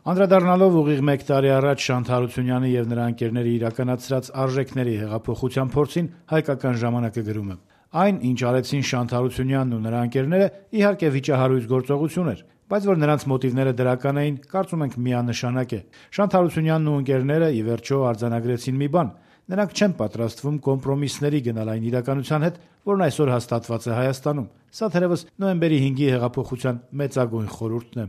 Անդրադառնալով ուղիղ 1 տարի առաջ Շանթ Հարությունյանի եւ նրա ընկերների իրականացրած արժեքների հեղափոխության փորձին հայկական ժամանակը գրում է. «Այն, ինչ արեցին Շանթ Հարությունյանն ու նրա ընկերները, իհարկե վիճահարույց գործողություն էր, բայց որ նրանց մոտիվները դրական էին, կարծում ենք միանշանակ է։ Շանթ Հարությունյանն ու ընկերները ի վերջո արձանագրեցին մի բան. նրանք չեն պատրաստվում կոմպրոմիսների գնալ այն իրականության հետ, որն այսօր հաստատված է Հայաստանում։ Սա թերևս նոյեմբերի 5-ի հեղափոխության մեծագույն խորհուրդն է»։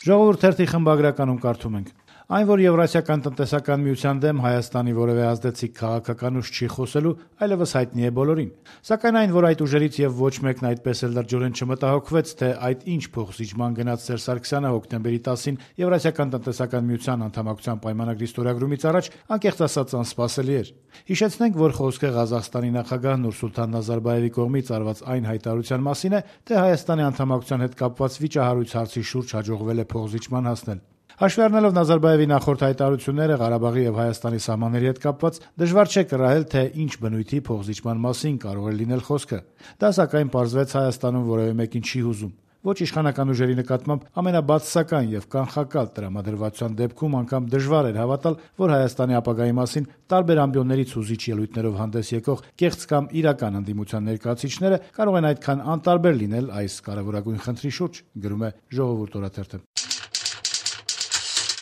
Ժողովուրդ թերթի խմբագրականում կարդում ենք. «Այն, որ Եվրասիական տնտեսական միության դեմ Հայաստանի որևէ ազդեցիկ քաղաքական ուժ չի խոսելու, այլևս հայտնի է բոլորին։ Սակայն այն, որ այդ ուժերից եւ ոչ մեկն այդպես էլ լրջորեն չմտահոգվեց, թե այդ ինչ փոխզիջման գնաց Սերժ Սարգսյանը հոկտեմբերի 10-ին Եվրասիական տնտեսական միության անդամակցության պայմանագրի ստորագրումից առաջ, անկեղծ ասած անսպասելի էր։ Հիշեցնենք, որ խոսքը Ղազախստանի նախագահ Նուրսուլթան Նազարբաևի կողմից արված այն հայտարարության մասին է, թե Հայաստանի անդամակցության հետ կապված վիճահարույց հարցի շուրջ հաջողվել է փոխզիջման հասնել։ Հաշվի առնելով Նազարբաևի նախորդ հայտարարությունները Ղարաբաղի եւ Հայաստանի սահմանների հետ կապված, դժվար չէ կռահել, թե ինչ բնույթի փոխզիջման մասին կարող է լինել խոսքը։ Դա սակայն պարզվեց Հայաստանում որևէ մեկին չի հուզում։ Ոչ իշխանական ուժերի նկատմամբ ամենաբացասական եւ կանխակալ տրամադրվածության դեպքում անգամ դժվար էր հավատալ, որ Հայաստանի ապագայի մասին տարբեր ամբիոններից հուզիչ ելույթներով հանդես եկող կեղծ կամ իրական ընդդիմության ներկայացուցիչները կարող են այդքան անտարբեր լինել այս կարևորագույն խնդրի շուրջ, գրում է Ժողովուրդ օրաթերթը։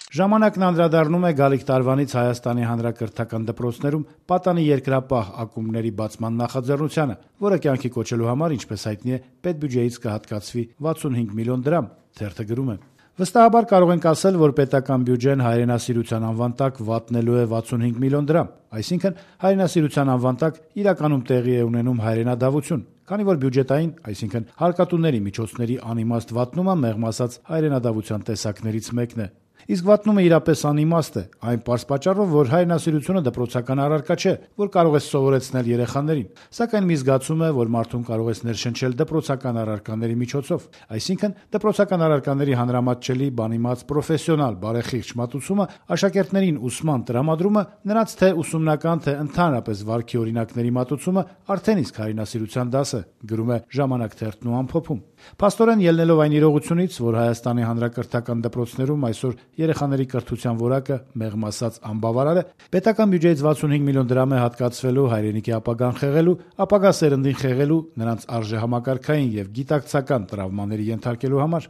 Ժամանակն անդրադառնում է գալիք տարվանից Հայաստանի հանրակրթական դպրոցներում պատանի երկրապահ ակումբների բացման նախաձեռնությանը, որը կյանքի կոչելու համար, ինչպես հայտնի է, պետբյուջեից կհատկացվի 65 միլիոն դրամ, թերթը գրում է. «Վստահաբար կարող ենք ասել, որ պետական բյուջեն հայրենասիրության անվան տակ վատնելու է 65 միլիոն դրամ, այսինքն հայրենասիրության անվան տակ իրականում տեղի է ունենում հայրենադավություն, քանի որ բյուջետային, այսինքն հարկատուների միջոցների անիմաստ վատնումը մեղմ ասած հայրենադավության տեսակներից մեկն է։ Իսկ վատնումը իրապես անիմաստ է, այն պարզ պատճառով, որ հայրենասիրությունը դպրոցական առարկա չէ, որ կարող ես սովորեցնել երեխաներին, սակայն մի զգացում է, որ մարդուն կարող ես ներշնչել դպրոցական առարկաների միջոցով, այսինքն դպրոցական առարկաների հանրամատչելի, բանիմաց, պրոֆեսիոնալ, բարեխիղճ մատուցումը, աշակերտներին ուսման տրամադրումը, նրանց թե ուսումնական, թե ընդհանրապես վարքի օրինակների մատուցումը արդեն իսկ հայրենասիրության դաս է», գրում է Ժամանակ թերթն ու ամփոփում։ Փաստորեն ելնելով այն իրողությունից, որ Հայաստանի հանրակրթական դպրոցներում այսօր երեխաների կրթության որակը մեղմ ասած անբավարար է, պետական բյուջեից 65 միլիոն դրամ է հատկացվելու հայրենիքի ապագան խեղելու, ապագա սերնդին խեղելու, նրանց արժեհամակարգային եւ գիտակցական տրավմաների ենթարկելու համար։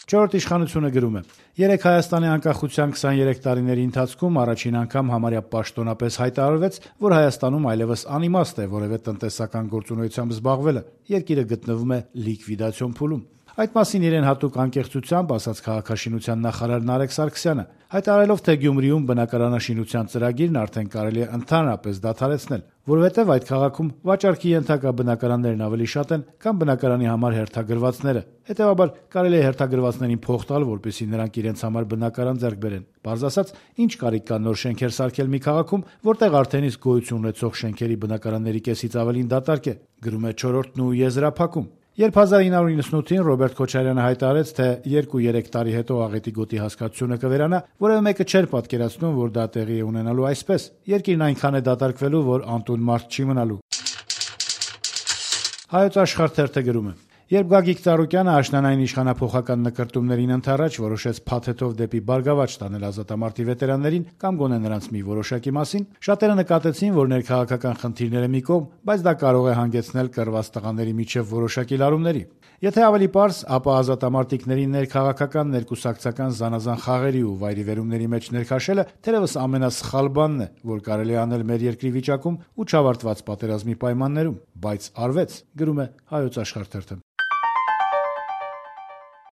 Չորրորդ իշխանությունը գրում է. «Երեկ Հայաստանի անկախության 23 տարիների ընթացքում առաջին անգամ համարյա պաշտոնապես հայտարարվեց, որ Հայաստանում այլևս անիմաստ է որևէ տնտեսական գործունեությամբ զբաղվելը, երկիրը գտնվում է լիկվիդացիոն փուլում։ Այդ մասին իրեն հատուկ անկեղծությամբ ասաց քաղաքաշինության նախարար Նարեկ Սարգսյանը, հայտարարելով, թե Գյումրիում բնակարանաշինության ծրագիրն արդեն կարելի է ընդհանրապես դադարեցնել, որովհետև այդ քաղաքում վաճառքի ենթակա բնակարաններն ավելի շատ են, քան բնակարանի համար հերթագրվածները։ Հետևաբար կարելի է հերթագրվածներին փող տալ, որպեսզի նրանք իրենց համար բնակարան ձեռք բերեն։ Պարզ ասած, ինչ կարիք կա նոր շենքեր սարքել մի քաղաքում, որտեղ արդեն իսկ գոյություն ունեցող շենքերի բնակարանների կեսից ավելին դատարկ է», գրում է Չորրորդն ու եզրափակում։ Երբ 1998-ին Ռոբերտ Քոչարյանը հայտարարեց, թե 2-3 տարի հետո աղետի գոտի հասկացությունը կվերանա, որևէ մեկը չէր պատկերացնում, որ դա տեղի է ունենալու այսպես։ Երկիրն այնքան է դատարկվելու, որ անտուն մարդ չի մնալու։ Հայոց Աշխարհ թերթը գրում է. «Երբ Գագիկ Ծառուկյանը աշնանային իշխանափոխական նկրտումներին ընդառաջ որոշեց փաթեթով դեպի Բարգավաճ տանել ազատամարտի վետերաններին կամ գոնե նրանց մի որոշակի մասին, շատերը նկատեցին, որ ներքաղաքական խնդիրները մի կողմ, բայց դա կարող է հանգեցնել կռված տղաների միջև որոշակի լարումների։ Եթե ավելի պարզ, ապա ազատամարտիկների ներքաղաքական, ներկուսակցական զանազան խաղերի ու վայրիվերումների մեջ ներքաշելը թերևս ամենասխալ բանն է, որ կարելի է անել մեր երկրի վիճակում ու չավարտված պատերազմի պայմաններում, բայց արվեց», գրում է Հայոց Աշխարհ թերթը։